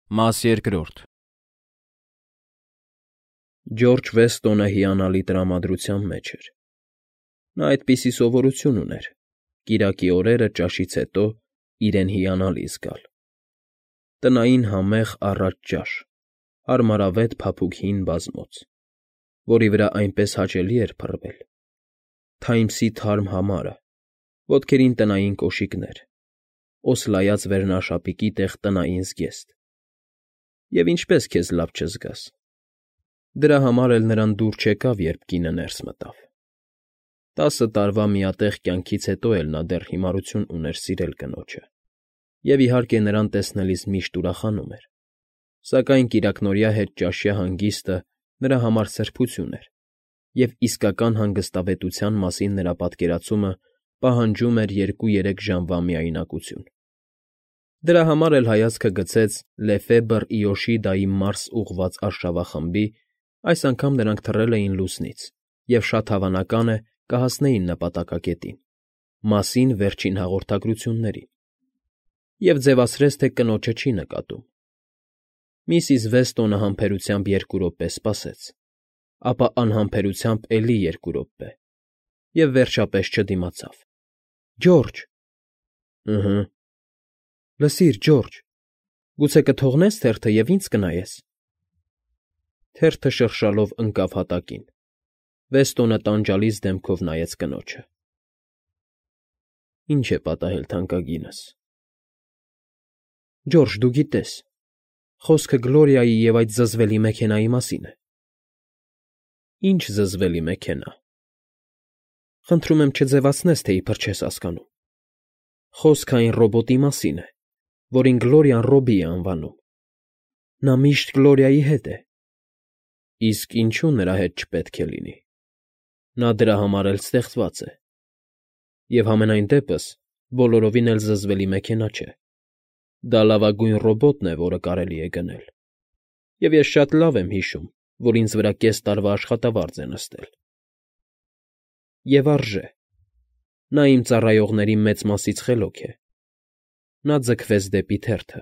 Մաս երկրորդ Ջորջ Վեստոնը հիանալի տրամադրության մեջ էր։ Նա այդպիսի սովորություն ուներ՝ կիրակի օրերը ճաշից հետո իրեն հիանալի զգալ։ Տնային համեղ առատ ճաշ, հարմարավետ փափուկ հին բազմոց, որի վրա այնպես հաճելի էր փռվել, Թայմսի թարմ համարը, ոտքերին տնային կոշիկներ, օսլայած վերնաշապիկի տեղ տնային զգեստ։ Եվ ինչպես քեզ լավ չզգաս։ Դրա համար էլ նրան դուր չեկավ, երբ կինը ներս մտավ։ 10 տարվա միատեղ կյանքից հետո էլ նա դեռ հիմարություն ուներ սիրել կնոջը, և իհարկե նրան տեսնելիս միշտ ուրախանում էր, սակայն կիրակնօրյա հետճաշյա հանգիստը նրա համար սրբություն էր, և իսկական հանգստավետության մասին նրա պատկերացումը պահանջում էր 2-3 ժամվա միայնակություն։ Դրա համար էլ հայացքը գցեց Լեֆեբր Իոշիդայի Մարս ուղղված արշավախմբի, այս անգամ նրանք թռել էին լուսնից և շատ հավանական է կհասնեին նպատակակետին, Մասին վերջին հաղորդագրություններին, և ձևացրեց, թե կնոջը չի նկատում։ Միսիս Վեստոնը համբերությամբ 2 րոպե սպասեց, ապա անհամբերությամբ էլի 2 րոպե, և վերջապես չդիմացավ։ ֊ Ջորջը։ ֊ Լսիր, Ջորջ, գուցե կթողնե՞ս թերթը և ինձ կնայես։ Թերթը շրշալով ընկավ հատակին։ Վեստոնը տանջալից դեմքով նայեց կնոջը։ ֊ Ինչ է պատահել, թանկագինս։ ֊ Ջորջ, դու գիտես, խոսքը Գլորիայի և այդ զզվելի մեքենայի մասին է։ ֊ Ի՞նչ զզվելի մեքենա։ ֊ Խնդրում եմ չձևացնես, թե իբր չես հասկանում։ Խոսքը այն ռոբոտի մասին է, որին Գլորիան Ռոբբի է անվանում։ Նա միշտ Գլորիայի հետ է։ ֊ Իսկ ինչու նրա հետ չպետք է լինի։ Նա դրա համար էլ ստեղծված է։ Եվ համենայն դեպս բոլորովին էլ զզվելի մեքենա չէ։ Դա լավագույն ռոբոտն է, որը կարելի է գնել, և ես շատ լավ եմ հիշում, որ ինձ վրա կես տարվա աշխատավարձ է նստել։ Եվ արժե։ Նա իմ ծառայողների մեծ մասից խելոք է։ Նա ձգվեց դեպի թերթը,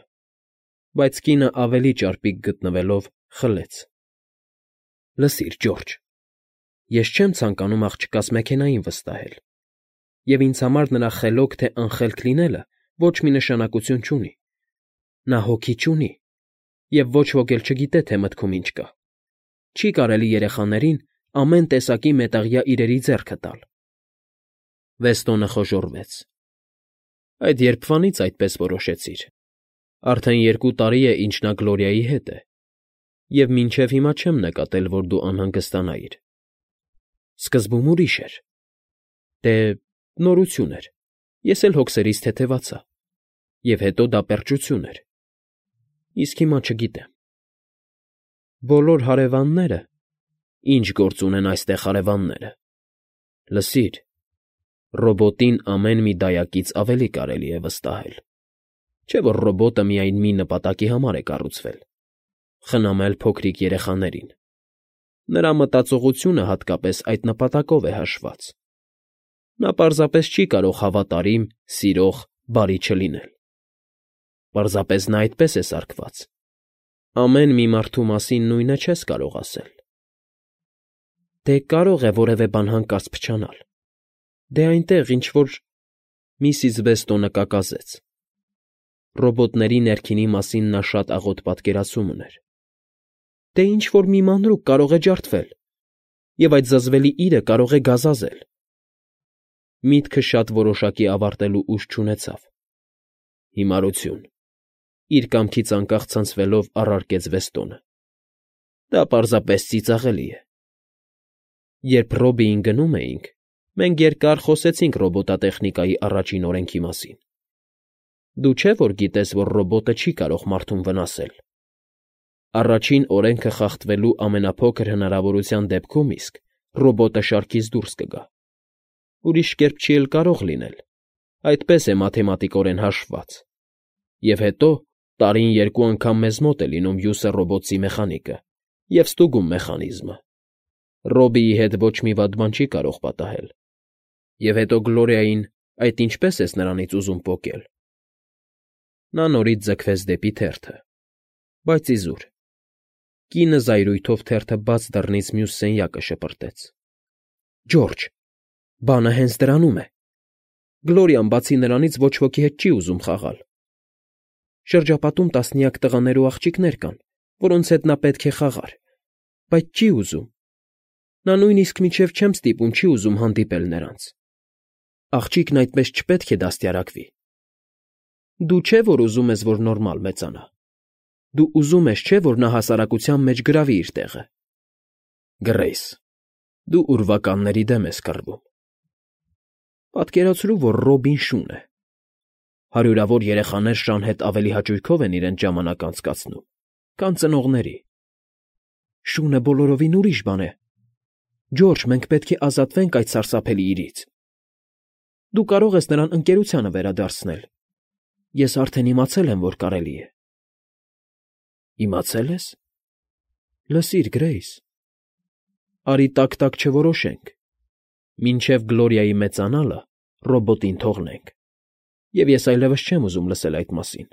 բայց կինը ավելի ճարպիկ գտնվելով խլեց։ ֊ Լսիր, Ջորջ, ես չեմ ցանկանում աղջկաս մեքենային վստահել, և ինձ համար նրա խելոք թե անխելք լինելը ոչ մի նշանակություն չունի։ Նա հոգի չունի, և ոչ ոք էլ չգիտե, թե մտքում ինչ կա։ Չի կարելի երեխաներին ամեն տեսակի մետաղյա իրերի ձեռքը տալ։ Վեստոնը խոժոռվեց։ Այդ երբվանից այդպես որոշեցիր։ Արդեն 2 տարի է, ինչ նա Գլորիայի հետ է, և մինչև հիմա չեմ նկատել, որ դու անհանգստանայիր։ Սկզբում ուրիշ էր։ Դե, նորություն էր, ես էլ հոգսերից թեթևացա, և հետո դա պերճություն էր։ Իսկ հիմա չգիտեմ։ Բոլոր հարևանները… Ինչ գործ ունեն այստեղ հարևանները։ Լսիր, ռոբոտին ամեն մի դայակից ավելի կարելի է վստահել։ Չէ՞ որ ռոբոտը միայն մի նպատակի համար է կառուցվել՝ խնամել փոքրիկ երեխաներին։ Նրա մտածողությունը հատկապես այդ նպատակով է հաշված։ Նա պարզապես չի կարող հավատարիմ, սիրող, բարի չլինել։ Պարզապես նա այդպես է սարքված։ Ամեն մի մարդու մասին նույնը չես կարող ասել։ Դե կարող է որևէ բան հանկարծ փչանալ։ Դե այնտեղ ինչ֊որ… Միսիս Վեստոնը կակազեց։ Ռոբոտների ներքինի մասին նա շատ աղոտ պատկերացում ուներ։ Դե ինչ֊որ մի մանրուք կարող է ջարդվել, և այդ զզվելի իրը կարող է գազազել։ Միտքը շատ որոշակի ավարտելու ուժ չունեցավ։ Հիմարություն… Իր կամքից անկախ ցնցվելով առարկեց Վեստոնը։ Դա պարզապես ծիծաղելի է։ Երբ Ռոբբիին գնում էինք, մենք երկար խոսեցինք ռոբոտատեխնիկայի առաջին օրենքի մասին։ Դու չէ՞ որ գիտես, որ ռոբոտը չի կարող մարդուն վնասել։ Առաջին օրենքը խախտվելու ամենափոքր հնարավորության դեպքում իսկ ռոբոտը շարքից դուրս կգա։ Ուրիշ կերպ չի էլ կարող լինել, այդպես է մաթեմատիկորեն հաշվված։ Եվ հետո տարին 2 անգամ մեզ մոտ է լինում հյուսը ռոբոտի մեխանիկը և ստուգում մեխանիզմը։ Ռոբբիի հետ ոչ մի վատ բան չի կարող պատահել։ Եվ հետո Գլորիային այդ ինչպե՞ս ես նրանից ուզում պոկել։ Նա նորից ձգվեց դեպի թերթը, Բայց իզուր։ Կինը զայրույթով թերթը բաց դռնից մյուս սենյակը շպրտեց։ Ջորջ, բանը հենց դրանում է։ Գլորիան բացի նրանից ոչ ոքի հետ չի ուզում խաղալ։ Շրջապատում տասնյակ տղաներ ու աղջիկներ կան, որոնց հետ նա պետք է խաղար, բայց չի ուզում։ Նա նույնիսկ մինչև չեմ ստիպում չի ուզում հանդիպել նրանց։ Աղջիկն այդպես չպետք է դաստիարակվի։ Դու չէ, որ ուզում ես, որ նորմալ մեծանա։ Դու ուզում ես, չէ, որ նա հասարակության մեջ գրավի իր տեղը։ Գրեյս, դու ուրվականների դեմ ես կռվում։ Պատկերացրու, որ Ռոբին շուն է։ Հարյուրավոր երեխաներ Շան հետ ավելի հաճույքով են իրենց ժամանակ անցկացնում, քան ծնողների։ Շունը բոլորովին ուրիշ բան է։ Ջորջ, մենք պետք է ազատվենք այդ սարսափելի իրից։ Դու կարող ես նրան ընկերությանը վերադարձնել։ Ես արդեն իմացել եմ, որ կարելի է։ Իմացել ես։ Լսիր, Գրեյս։ Արի տակ-տակ չորոշենք։ Մինչև Գլորիայի մեծանալը ռոբոտին թողնենք։ Եվ ես այլևս չեմ ուզում լսել այդ մասին։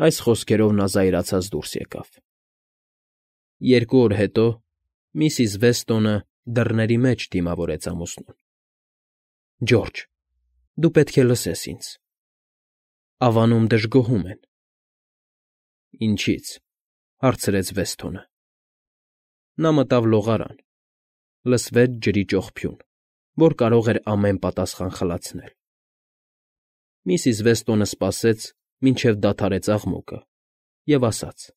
Այս խոսքերով նա զայրացած դուրս եկավ։ 2 օր հետո միսիս Վեստոնը դռների մեջ դիմավորեց ամուսնուն։ Ջորջ, դու պետք է լսես ինձ։ Ավանում դժգոհում են։ Ինչի՞ց, հարցրեց Վեստոնը։ Նա մտավ լողարան, լսվեց ջրի ճոխփյուն, որ կարող էր ամեն պատասխան խլացնել։ Միսիս Վեստոնը սպասեց, մինչև դադարեց աղմուկը, և ասաց.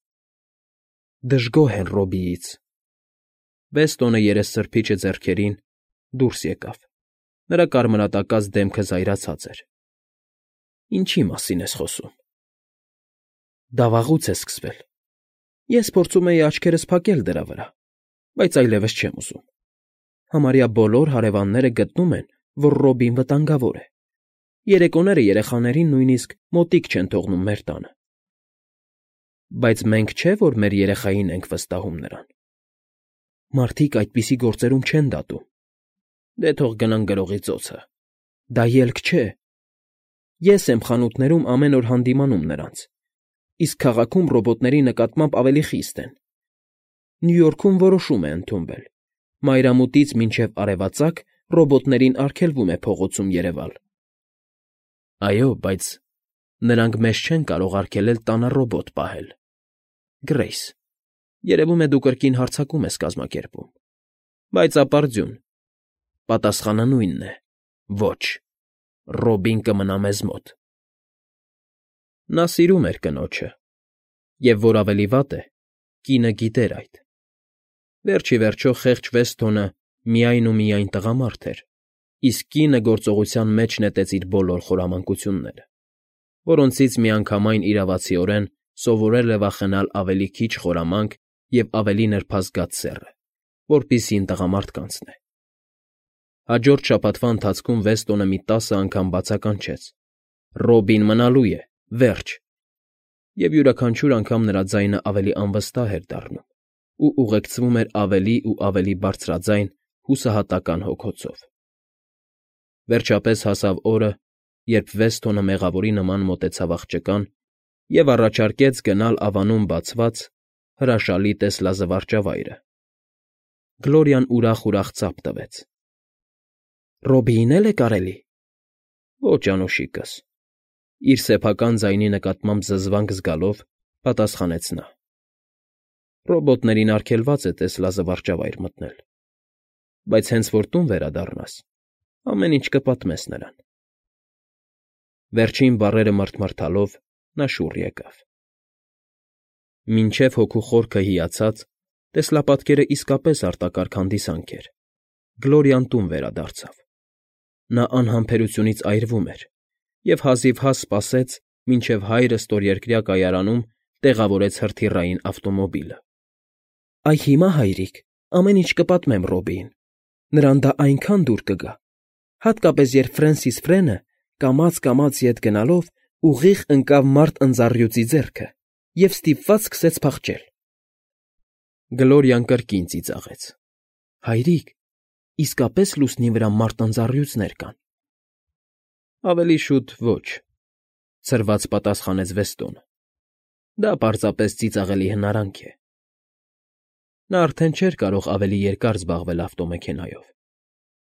Դժգոհ են Ռոբիից։ Վեստոնը երեսսրբիչը ձեռքերին դուրս եկավ։ Նրա կարմրատակած դեմքը զայրացած էր։ Ինչի մասին ես խոսում։ Դա վաղուց է սկսվել։ Ես փորձում էի աչքերս փակել դրա վրա, բայց այլևս չեմ ուզում։ Համարյա բոլոր հարևանները գտնում են, որ Ռոբին վտանգավոր է։ Երեկոները երեխաներին նույնիսկ մոտիկ չեն թողնում մեր տանը։ Բայց մենք չէ, որ մեր երեխային ենք վստահում նրան։ Մարդիկ այդպիսի գործերում չեն դատում։ Դե թող գնան գրողի ծոցը։ Դա ելք չէ։ Ես եմ խանութներում ամեն օր հանդիմանում նրանց, իսկ քաղաքում ռոբոտների նկատմամբ ավելի խիստ են։ Նյու Յորքում որոշում է ընդունվել. մայրամուտից մինչև արևածագ ռոբոտներին արգելվում է փողոցում երևալ։ Այո, բայց նրանք մեզ չեն կարող արգելել տանը ռոբոտ պահել։ Գրեյս, երևում է դու կրկին հարձակում ես կազմակերպում։ Բայց ապարդյուն, պատասխանը նույնն է. ոչ, Ռոբին կմնա մեզ մոտ։ Նա սիրում էր կնոջը, և որ ավելի վատ է, կինը գիտեր այդ։ Վերջ ի վերջո խեղճ Վեստոնը միայն ու միայն տղամարդ էր, իսկ կինը գործողության մեջ նետեց իր բոլոր խորամանկությունները, որոնցից միանգամայն իրավացիորեն սովորել է վախենալ ավելի քիչ խորամանկ և ավելի նրբազգաց սեռը, որպիսին տղամարդ կանցնե։ Հաջորդ շաբաթվա ընթացքում Վեստոնը մի 10 անգամ բացականչեց. Ռոբին մնալու է, վերջ։ Եվ յուրաքանչյուր անգամ նրա ձայնը ավելի անվստահ էր դառնում ու ուղեկցվում էր ավելի ու ավելի բարձրաձայն հուսահատական հոգոցով։ Վերջապես հասավ օրը, երբ Վեստոնը մեղավորի նման մոտեցավ աղջկան և առաջարկեց գնալ ավանում բացված հրաշալի տեսլազվարճավայրը։ Գլորիան ուրախ ծափ տվեց։ Ռոբիին էլ է կարելի։ Ոչ, անուշիկս, իր սեփական ձայնի նկատմամբ զզվանք զգալով պատասխանեց նա։ Ռոբոտներին արգելված է տեսլազվարճավայր մտնել, բայց հենց որ տուն վերադառնաս, ամեն ինչ կպատմես նրան։ Վերջին բառերը մռթմռթալով նա շուռ եկավ։ Մինչև հոգու խորքը հիացած, տեսլապատկերը իսկապես արտակարգ հանդիսանք էր։ Գլորիան տուն վերադարձավ։ Նա անհամբերությունից այրվում էր և հազիվհազ սպասեց, մինչև հայրը ստորերկրյա կայարանում տեղավորեց հրթիռային ավտոմոբիլը։ Այ հիմա, հայրիկ, ամեն ինչ կպատմեմ Ռոբիին։ Նրան դա այնքան դուր կգա, հատկապես երբ Ֆրենսիս Ֆրենը կամաց ետ գնալով ուղիղ ընկավ մարդ ընձառյուծի ձեռքը և ստիպված սկսեց փախչել։ Գլորիան կրկին ծիծաղեց։ Հայրիկ, իսկապես լուսնի վրա մարդ ընձառյուծներ կան։ Ավելի շուտ ոչ, ցրված պատասխանեց Վեստոնը։ Դա պարզապես ծիծաղելի հնարանք է։ Նա արդեն չէր կարող ավելի երկար զբաղվել ավտոմեքենայով.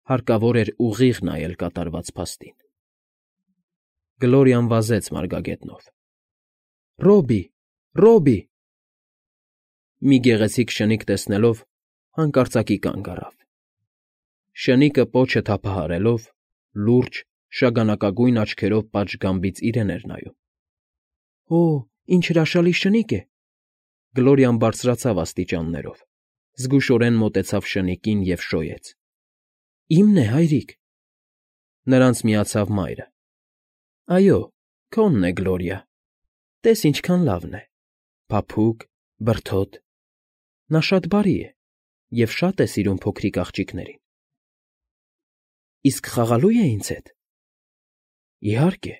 հարկավոր էր ուղիղ նայել կատարված փաստին։ Գլորիան վազեց մարգագետնով։ Ռոբի, Ռոբի… Մի գեղեցիկ շնիկ տեսնելով հանկարծակի կանգ առավ։ Շնիկը պոչը թափահարելով, լուրջ, շագանակագույն աչքերով պատշգամբից իրեն էր նայում։ Օ, ինչ հրաշալի շնիկ է… Գլորիան բարձրացավ աստիճաններով, զգուշորեն մոտեցավ շնիկին և շոյեց։ Իմն է, հայրիկ… Նրանց միացավ մայրը։ Այո, քոնն է, Գլորիա… Տես ինչքան լավն է… Փափուկ, բրդոտ… Նա շատ բարի է և շատ է սիրում փոքրիկ աղջիկներին։ Իսկ խաղալո՞ւ է ինձ հետ։ Իհարկե,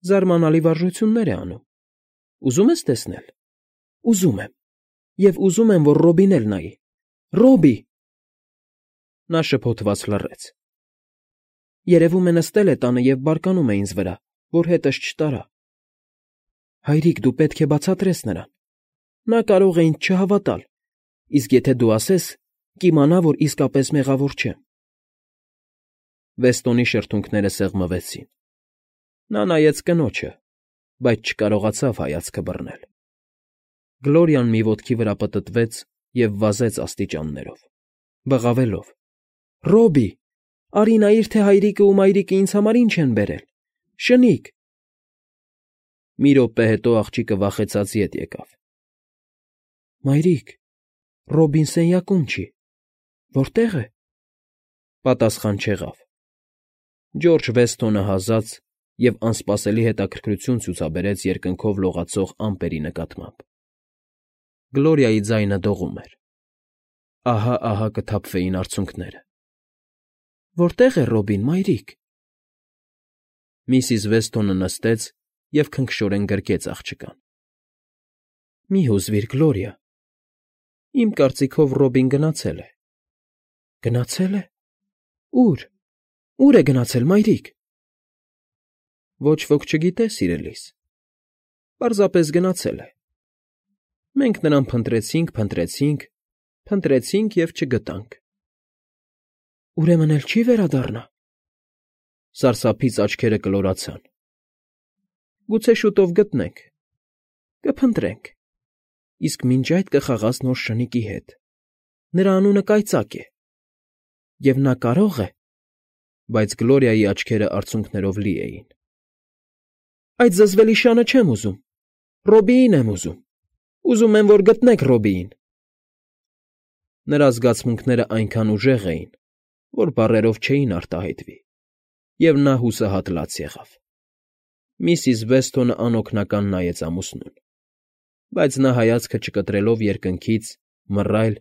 զարմանալի վարժություններ է անում։ Ուզում ես տեսնել։ Ուզում եմ… Եվ ուզում եմ, որ Ռոբին էլ նայի… Ռոբի… Նա շփոթված լռեց։ Երևում է նստել է տանը և բարկանում է ինձ վրա, որ հետս չտարա։ Հայրիկ, դու պետք է բացատրես նրան… Նա կարող է ինձ չհավատալ, իսկ եթե դու ասես, կիմանա, որ իսկապես մեղավոր չեմ։ Վեստոնի շրթունքները սեղմվեցին։ Նա նայեց կնոջը, բայց չկարողացավ հայացքը բռնել։ Գլորիան մի ոտքի վրա պտտվեց և վազեց աստիճաններով, բղավելով. Ռոբի, արի նայիր, թե հայրիկը ու մայրիկը ինձ համար ինչ են բերել… Շնիկ… Մի րոպե հետո աղջիկը վախեցած ետ եկավ։ Մայրիկ, Ռոբին սենյակում չի… Որտե՞ղ է… Պատասխան չեղավ։ Ջորջ Վեսթոնը հազաց և անսպասելի հետաքրքրություն ցուցաբերեց երկնքով լողացող ամպերի նկատմամբ։ Գլորիայի ձայնը դողում էր։ Ահա կթափվեին արցունքները։ Որտե՞ղ է Ռոբին, մայրիկ… Միսիս Վեսթոնը նստեց և քնքշորեն գրկեց աղջկան։ Մի հուզվիր, Գլորիա… Իմ կարծիքով Ռոբին գնացել է։ Գնացե՞լ է… Ո՞ւր… Ո՞ւր է գնացել, մայրիկ… Ոչ ոք չգիտե, սիրելիս… Պարզապես գնացել է… Մենք նրան փնտրեցինք և չգտանք… Ուրեմն էլ չի՞ վերադառնա… Սարսափից աչքերը կլորացան։ Գուցե շուտով գտնենք… Կփնտրենք… Իսկ մինչ այդ կխաղաս նոր շնիկի հետ… Նրա անունը Կայծակ է… Եվ նա կարող է… Բայց Գլորիայի աչքերը արցունքներով լի էին։ Այդ զզվելի շանը չեմ ուզում… Ռոբիին եմ ուզում… Ուզում եմ, որ գտնեք Ռոբիին… Նրա զգացմունքները այնքան ուժեղ էին, որ բառերով չէին արտահայտվի, և նա հուսահատ լաց եղավ։ Միսիս Վեսթոնը անօգնական նայեց ամուսնուն, բայց նա հայացքը չկտրելով երկնքից, մռայլ,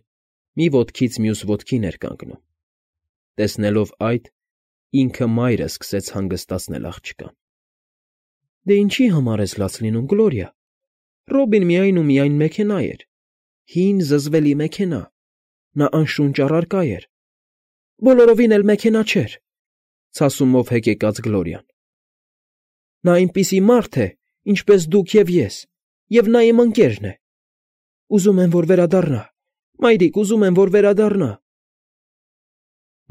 մի ոտքից մյուս ոտքին էր կանգնում։ Տեսնելով այդ, ինքը մայրը սկսեց հանգստացնել աղջկան։ Դե ինչի համար ես լաց լինում, Գլորիա… Ռոբին միայն ու միայն մեքենա էր… Հին զզվելի մեքենա… Նա անշունչ առարկա էր… Բոլորովին էլ մեքենա չէր… Ցասումով հեկեկաց Գլորիան։ Նա այնպիսի մարդ է, ինչպես դուք և ես, և նա իմ ընկերն է… Ուզում եմ, որ վերադառնա… Մայրիկ, ուզում եմ, որ վերադառնա…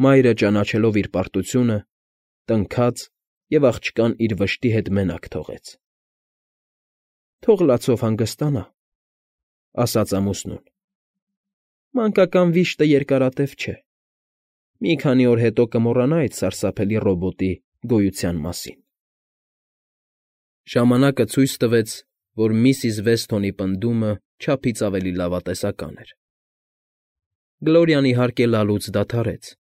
Մայրը, ճանաչելով իր պարտությունը, տնքաց և աղջկան իր վշտի հետ մենակ թողեց։ Թող լացով հանգստանա, ասաց ամուսնուն։ Մանկական վիշտը երկարատև չէ… Մի քանի օր հետո կմոռանա այդ սարսափելի ռոբոտի գոյության մասին։ Ժամանակը ցույց տվեց, որ միսիս Վեսթոնի պնդումը չափից ավելի լավատեսական էր։ Գլորիան, իհարկե, լալուց դադարեց,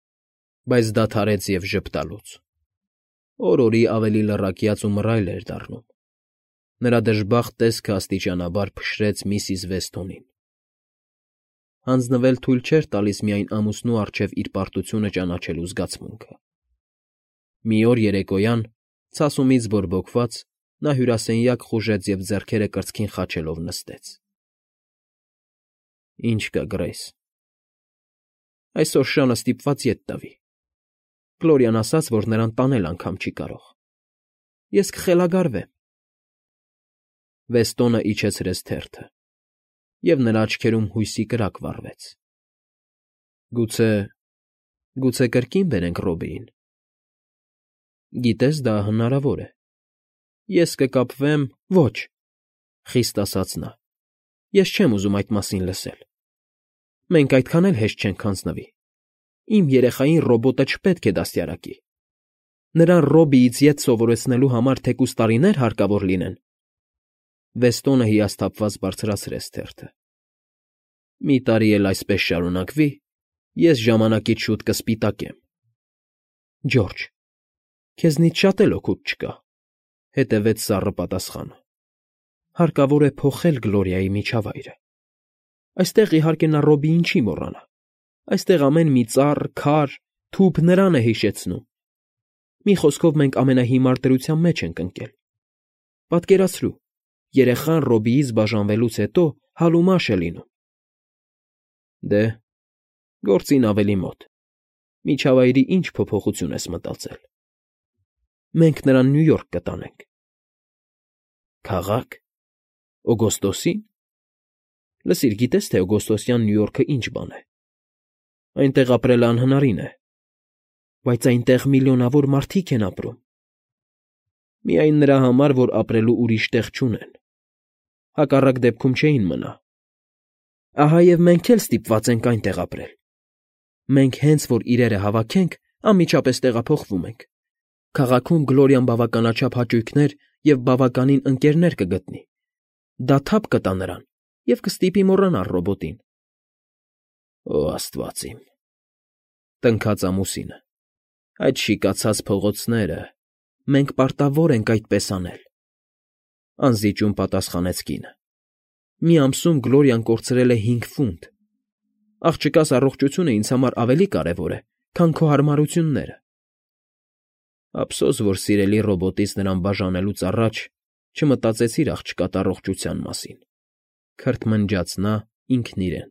բայց դադարեց և ժպտալուց։ Օր֊օրի ավելի լռակյաց ու մռայլ էր դառնում։ Նրա դժբախտ տեսքը աստիճանաբար փշրեց միսիս Վեսթոնին։ Հանձնվել թույլ չէր տալիս միայն ամուսնու առջև իր պարտությունը ճանաչելու զգացմունքը։ Մի օր երեկոյան, ցասումից բորբոքված, նա հյուրասենյակ խուժեց և ձեռքերը կրծքին խաչելով նստեց։ Ինչ կա, Գրեյս… Այսօր շանը ստիպված ետ տվի… Գլորիան ասաց, որ նրան տանել անգամ չի կարող… Ես կխելագարվեմ… Վեստոնը իջեցրեց թերթը, և նրա աչքերում հույսի կրակ վառվեց։ Գուցե կրկին բերենք Ռոբիին։ Գիտես, դա հնարավոր է։ Ես կկապվեմ… Ոչ, խիստ ասաց նա, ես չեմ ուզում այդ մասին լսել։ Մենք այդքան էլ հեշտ չենք հանձնվի։ Իմ երեխային ռոբոտը չպետք է դաստիարակի։ Նրան Ռոբիից ետ սովորեցնելու համար թեկուզ տարիներ հարկավոր լինեն։ Վեստոնը հիասթափված բարձրացրեց թերթը։ Մի տարի էլ այսպես շարունակվի, ես ժամանակից շուտ կսպիտակեմ։ Ջորջ, քեզնից շատ էլ օգուտ չկա,֊ հետևեց սառը պատասխանը։ Հարկավոր է փոխել Գլորիայի միջավայրը։ Այստեղ, իհարկե, նա Ռոբիին չի մոռանա։ Այստեղ ամեն մի ծառ, քար, թուփ նրան է հիշեցնում։ Մի խոսքով, մենք ամենահիմար դրության մեջ ենք ընկել։ Պատկերացրու, երեխան Ռոբիից բաժանվելուց հետո հալումաշ է լինում։ Դե, գործին ավելի մոտ։ Միջավայրի ինչ փոփոխություն ես մտածել։ Մենք նրան Նյու Յորք կտանենք։ Քաղա՞ք… Օգոստոսի՞ն։ Լսիր, գիտես, թե օգոստոսյան Նյու Յորքը ինչ բան է։ Այնտեղ ապրելը անհնարին է։ Բայց այնտեղ միլիոնավոր մարդիկ են ապրում։ Միայն նրա համար, որ ապրելու ուրիշ տեղ չունեն։ Հակառակ դեպքում չէին մնա։ Ահա և մենք էլ ստիպված ենք այնտեղ ապրել։ Մենք հենց որ իրերը հավաքենք, անմիջապես տեղափոխվում ենք։ Քաղաքում Գլորիան բավականաչափ հաճույքներ և բավականին ընկերներ կգտնի։ Դա թափ կտա նրան և կստիպի մոռանալ ռոբոտին։ Օ աստված իմ…֊ տնքաց ամուսինը։֊ Այդ շիկացած փողոցները… Մենք պարտավոր ենք այդպես անել,֊ անզիջում պատասխանեց կինը։ Մի ամսում Գլորիան կորցրել է 5 ֆունտ։ Աղջկաս առողջությունը ինձ համար ավելի կարևոր է, քան քո հարմարությունները։ Ափսոս, որ սիրելի ռոբոտից նրան բաժանելուց առաջ չմտածեցիր աղջկադ առողջության մասին,֊ քրթմնջաց նա ինքն իրեն։